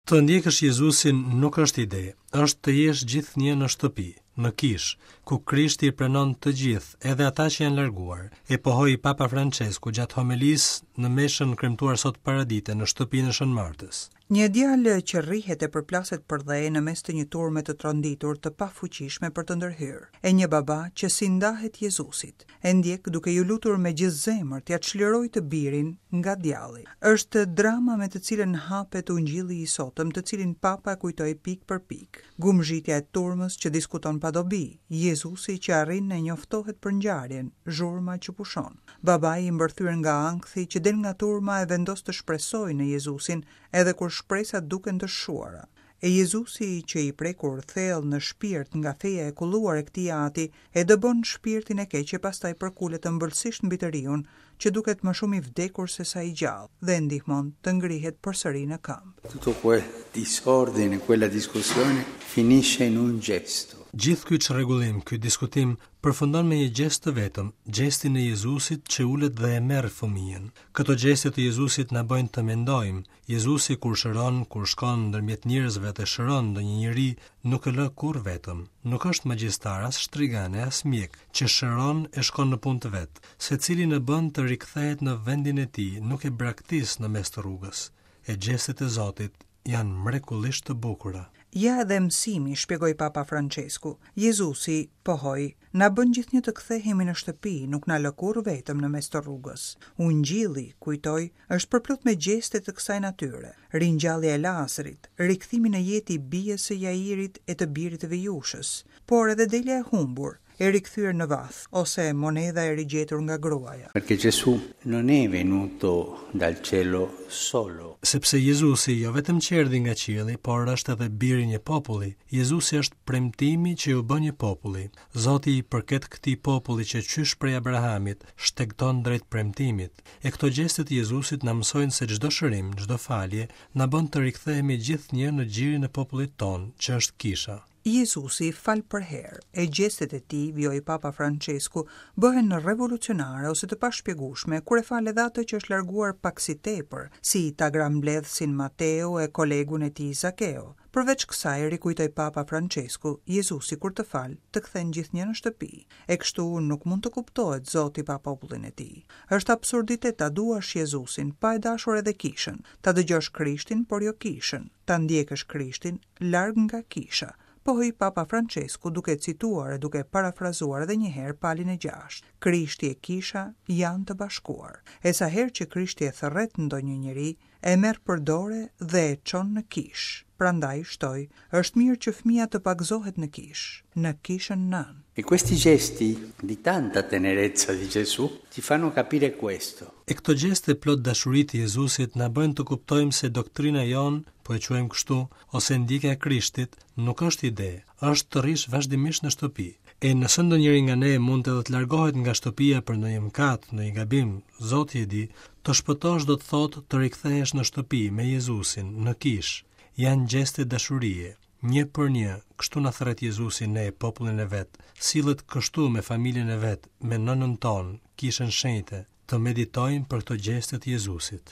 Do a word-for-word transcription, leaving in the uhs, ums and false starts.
Të ndjekësh Jezusin nuk është ide, është të jesh gjithnjë në shtëpi, në kishë, ku Krishti i pranon të gjithë, edhe ata që janë larguar, e pohoi Papa Francesku gjatë homelisë në meshën kremtuar sot paradite në shtëpinë e Shën Martës. Një djalë që rrihet e përplaset për dhe në mes të një turme të tronditur të pafuqishme për të ndërhyrë, e një baba që s'i ndahet Jezusit, e ndjek duke ju lutur me gjithë zemër t'ia çlirojë të birin nga djalli. Është drama me të cilën hapet ungjilli i sotëm, të cilin Papa e kujtoi pikë për pikë. Gumzhitja e turmës që diskuton pa dobi, Jezusi që arrin e njoftohet për ngjarjen, zhurma që pushon. Babai i mbërthyer nga ankthi që del nga turma e vendos të shpresojë në Jezusin edhe kur shpresat duken të shuara. E Jezusi që i prekur thellë në shpirt nga feja e kulluar e këtij ati, e dëbon shpirtin e keq e pastaj përkulet ëmbëlsisht mbi të riun, që duket më shumë i vdekur se sa i gjallë, dhe e ndihmon të ngrihet përsëri në këmbë. Tutto quel disordine, quella discussione finisce in un gesto. Gjithë ky çrregullim, ky diskutim përfundon me një gjest të vetëm, gjestin e Jezusit që ulet dhe e merr fëmijën. Këto gjeste të Jezusit na bëjnë të mendojmë. Jezusi kur shëron, kur shkon ndërmjet njerëzve dhe shëron ndonjë njeri, nuk e lë kurrë vetëm. Nuk është magjistar, as shtrigane, as mjek, që shëron e shkon në punë të vet. Secilin e bën të rikthehet në vendin e tij, nuk e braktis në mes të rrugës. E gjestet e Zotit janë mrekullisht të bukura. Ja edhe mësimi, shpjegoi Papa Francesku. Jezusi pohoi, na bën gjithnjë të kthehemi në shtëpi, nuk na lë kurrë vetëm në mes të rrugës. Ungjilli, kujtoi, është përplot me gjeste të kësaj natyre. Ringjallja e Lazarit, rikthimi në jetë i bijës së Jairit e të birit të Vejushës, por edhe delja e humbur, e rikthyer në vath, ose monedha e rigjetur nga gruaja. Perché Gesù non è venuto dal cielo solo. Sepse Jezusi jo vetëm që erdhi nga qielli, por është edhe biri i një populli. Jezusi është premtimi që ju bën një populli. Zoti i përket këtij populli që qysh prej Abrahamit shtegton drejt premtimit. E këto gjeste të Jezusit na mësojnë se çdo shërim, çdo falje na bën të rikthehemi gjithnjë në gjirin e popullit tonë, që është kisha. Jezusi fal përherë, e gjestet e tij, vijoi Papa Francesku, bëhen revolucionare ose të pashpjegueshme kur e fal edhe atë që është larguar pak si tepër, si tagrambledhësin Mateo e kolegun e tij Zakeo. Përveç kësaj, rikujtoi Papa Francesku, Jezusi kur të fal, të kthen gjithnjë në shtëpi. E kështu nuk mund të kuptohet Zoti pa popullin e tij. Është absurditet ta duash Jezusin pa e dashur edhe kishën, ta dëgjosh Krishtin por jo kishën, ta ndjekësh Krishtin larg nga kisha, pohoi Papa Francesku duke cituar e duke parafrazuar edhe një herë Palin e gjashtë. Krishti e kisha janë të bashkuar. E sa herë që Krishti e thërret ndonjë njeri, e merr për dore dhe e çon në kishë. Prandaj shtoi, është mirë që fëmia të pagëzohet në kishë, në kishën nënë. E questi gesti di tanta tenerezza di Gesù ti fanno capire questo. E këto gjeste plot dashuri të Jezusit na bëjnë të kuptojmë se doktrina jonë, po e quajmë kështu, ose ndjekja e Krishtit, nuk është ide, është të rrish vazhdimisht në shtëpi. E nëse ndonjëri nga ne mund edhe të largohet nga shtëpia për ndonjë mëkat, ndonjë gabim, Zoti e di, të shpëtosh do të thotë të rikthehesh në shtëpi me Jezusin, në kishë. Janë gjeste dashurie, një për një, kështu na thërret Jezusi ne, popullin e vet, sillet kështu me familjen e vet, me nënën tonë, kishën shenjte, të meditojmë për këto gjeste të Jezusit.